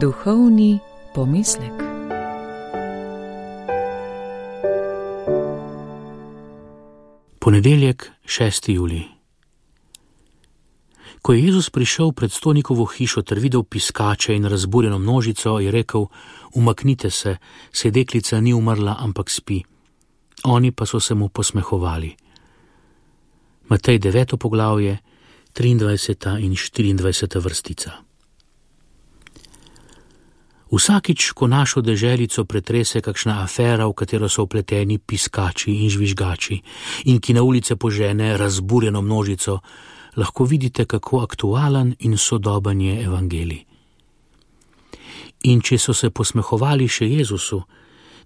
Duhovni pomislek. Ponedeljek, 6. julij. Ko je Jezus prišel pred stolnikovo hišo ter videl piskače in razburjeno množico, je rekel: "Umaknite se, saj deklica ni umrla, ampak spi." Oni pa so se mu posmehovali. Matej 9. poglavje, 23. in 24. vrstica. Vsakič, ko našo deželico pretrese kakšna afera, v katero so vpleteni piskači in žvižgači in ki na ulice požene razburjeno množico, lahko vidite, kako aktualen in sodoben je evangelij. In če so se posmehovali še Jezusu,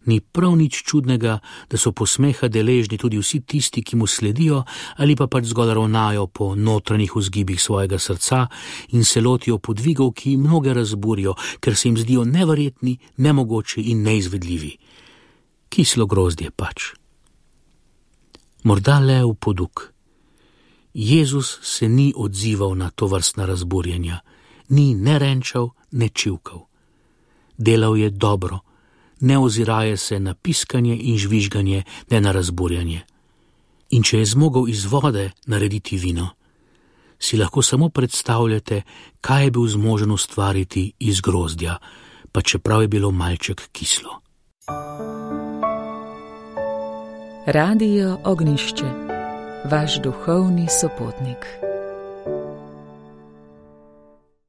ni prav nič čudnega, da so posmeha deležni tudi vsi tisti, ki mu sledijo ali pa pač zgolj ravnajo po notranjih vzgibih svojega srca in se lotijo podvigov, ki mnoge razburijo, ker se jim zdijo neverjetni, nemogoči in neizvedljivi. Kislo grozdje pač. Morda le v poduk. Jezus se ni odzival na tovrstna razburjenja, ni ne renčal, ne čivkal. Delal je dobro, ne oziraje se na piskanje in žvižganje, ne na razburjanje. In če je zmogel iz vode narediti vino, si lahko samo predstavljate, kaj je bil zmožen ustvariti iz grozdja, pa čeprav je bilo malček kislo. Radio Ognjišče, vaš duhovni sopotnik.